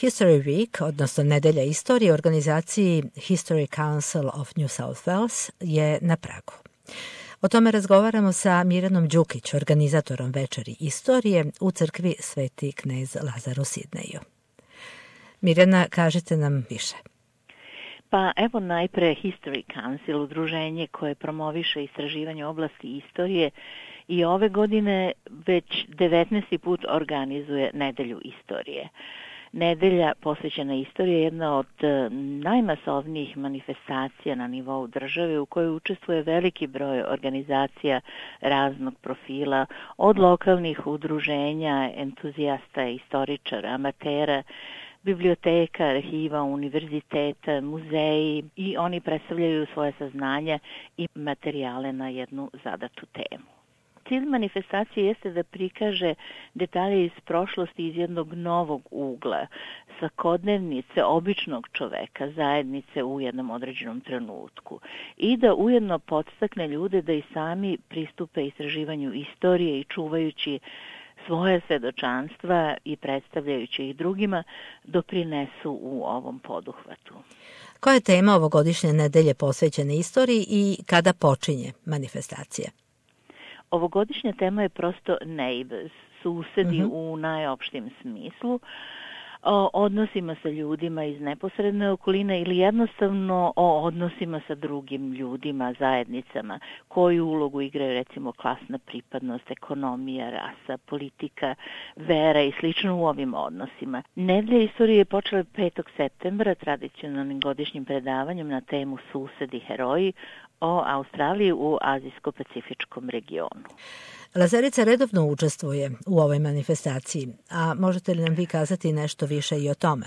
History Week, odnosno Nedelja istorije, organizaciji History Council of New South Wales je na pragu. O tome razgovaramo sa Mirjanom Đukić, organizatorom Večeri istorije u crkvi Sveti knez Lazar u Sidneju. Mirjana, kažite nam više. Pa evo najpre History Council, udruženje koje promoviše istraživanje oblasti istorije i ove godine već 19. put organizuje Nedelju istorije. Nedelja posvećena istoriji je jedna od najmasovnijih manifestacija na nivou države u kojoj učestvuje veliki broj organizacija raznog profila, od lokalnih udruženja, entuzijasta, istoričara, amatera, biblioteka, arhiva, univerziteta, muzeji i oni predstavljaju svoje saznanja i materijale na jednu zadatu temu. Cilj manifestacije jeste da prikaže detalje iz prošlosti iz jednog novog ugla, svakodnevnice običnog čoveka, zajednice u jednom određenom trenutku i da ujedno podstakne ljude da i sami pristupe istraživanju istorije i čuvajući svoje svedočanstva i predstavljajući ih drugima doprinesu u ovom poduhvatu. Koja je tema ovogodišnje nedelje posvećene istoriji i kada počinje manifestacija? Ovogodišnja tema je prosto neighbors, susedi u najopštijem smislu, o odnosima sa ljudima iz neposredne okoline ili jednostavno o odnosima sa drugim ljudima, zajednicama, koju ulogu igraju recimo klasna pripadnost, ekonomija, rasa, politika, vera i slično u ovim odnosima. Nedelja istorije je počela 5. septembra tradicionalnim godišnjim predavanjem na temu Susedi heroji o Australiji u Azijsko-pacifičkom regionu. Lazarica redovno učestvuje u ovoj manifestaciji, a možete li nam vi kazati nešto više i o tome?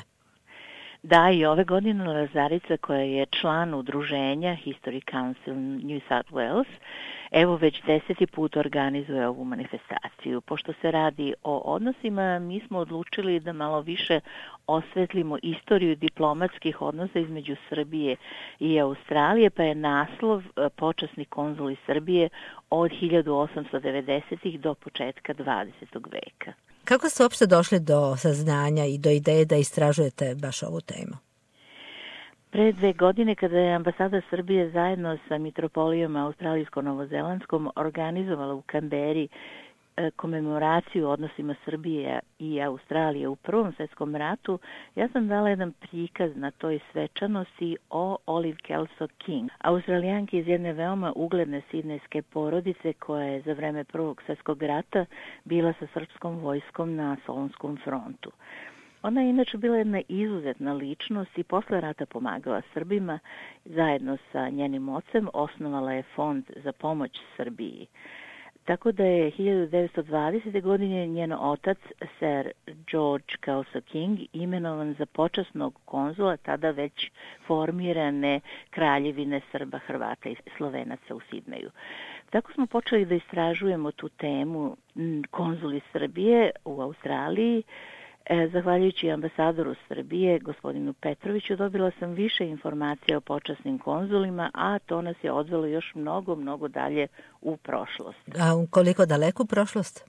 Da, i ove godine Lazarica, koja je član udruženja History Council New South Wales, evo već 10. put organizuje ovu manifestaciju. Pošto se radi o odnosima, mi smo odlučili da malo više osvetlimo istoriju diplomatskih odnosa između Srbije i Australije, pa je naslov Počasni konzuli Srbije od 1890. do početka 20. veka. Kako ste uopšte došli do saznanja i do ideje da istražujete baš ovu temu? Pre 2 godine, kada je ambasada Srbije zajedno sa mitropolijom australijsko-novozelandskom organizovala u Kamberi komemoraciju o odnosima Srbije i Australije u Prvom svetskom ratu, ja sam dala jedan prikaz na toj svečanosti o Olive Kelso King, Australijanki iz jedne veoma ugledne sidnejske porodice koja je za vreme Prvog svjetskog rata bila sa srpskom vojskom na Solonskom frontu. Ona je inače bila jedna izuzetna ličnost i posle rata pomagala Srbima. Zajedno sa njenim ocem osnovala je fond za pomoć Srbiji. Tako da je 1920. godine njen otac, Sir George Kelso King, imenovan za počasnog konzula tada već formirane kraljevine Srba, Hrvata i Slovenaca u Sidneju. Tako smo počeli da istražujemo tu temu konzuli Srbije u Australiji. Zahvaljujući ambasadoru Srbije, gospodinu Petroviću, dobila sam više informacija o počasnim konzulima, a to nas je odvelo još mnogo dalje u prošlost. A koliko daleku prošlost?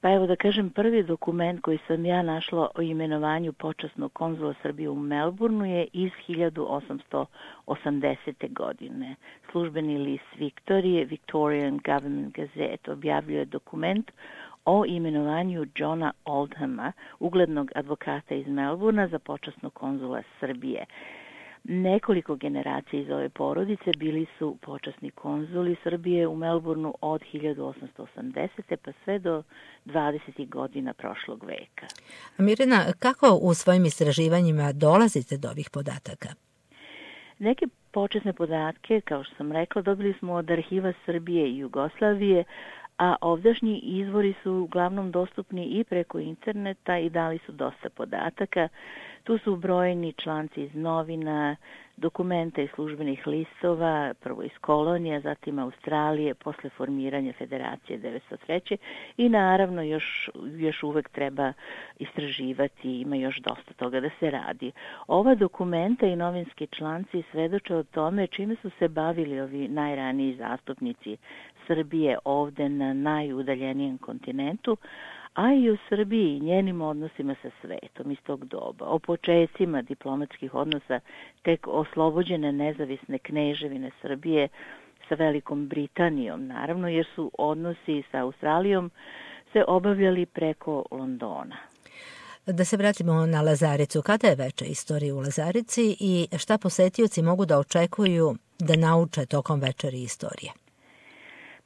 Pa evo da kažem, prvi dokument koji sam ja našla o imenovanju počasnog konzula Srbije u Melbourneu je iz 1880. godine. Službeni list Victorian Government Gazette objavljuje dokument o imenovanju Johna Oldhama, uglednog advokata iz Melbournea, za počasnog konzula Srbije. Nekoliko generacija iz ove porodice bili su počasni konzuli Srbije u Melbourneu od 1880. pa sve do 20. godina prošlog veka. Mirjana, kako u svojim istraživanjima dolazite do ovih podataka? Neke počasne podatke, kao što sam rekla, dobili smo od arhiva Srbije i Jugoslavije, a ovdašnji izvori su uglavnom dostupni i preko interneta i dali su dosta podataka. Tu su brojni članci iz novina, dokumenta iz službenih listova, prvo iz kolonija, zatim Australije, posle formiranja Federacije 1903. I naravno još uvek treba istraživati, ima još dosta toga da se radi. Ova dokumenta i novinski članci svedoče o tome čime su se bavili ovi najraniji zastupnici Srbije ovde na najudaljenijem kontinentu, a i o Srbiji i njenim odnosima sa svetom iz tog doba, o počecima diplomatskih odnosa tek oslobođene nezavisne kneževine Srbije sa Velikom Britanijom, naravno, jer su odnosi sa Australijom se obavljali preko Londona. Da se vratimo na Lazaricu. Kada je veče istorije u Lazarici i šta posetioci mogu da očekuju da nauče tokom večeri istorije?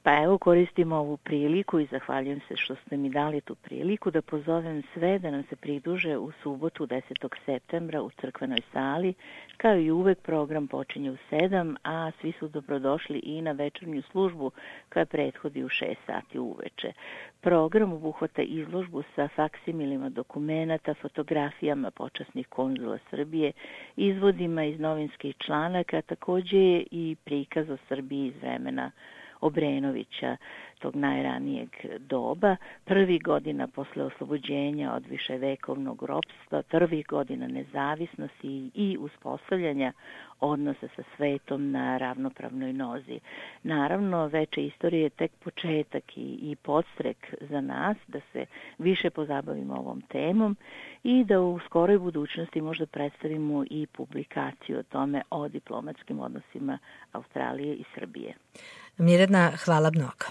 Pa evo, koristim ovu priliku i zahvaljujem se što ste mi dali tu priliku da pozovem sve da nam se pridruže u subotu 10. septembra u crkvenoj sali. Kao i uvek, program počinje u 7, a svi su dobrodošli i na večernju službu koja prethodi u 6 sati uveče. Program obuhvata izložbu sa faksimilima dokumenata, fotografijama počasnih konzula Srbije, izvodima iz novinskih članaka, takođe i prikaz o Srbiji iz vremena Obrenovića, tog najranijeg doba, prvih godina posle oslobođenja od viševekovnog ropstva, prvih godina nezavisnosti i uspostavljanja odnosa sa svetom na ravnopravnoj nozi. Naravno, veče istorije je tek početak i podstrek za nas da se više pozabavimo ovom temom i da u skoroj budućnosti možda predstavimo i publikaciju o tome o diplomatskim odnosima Australije i Srbije. Mirjana, hvala mnogo.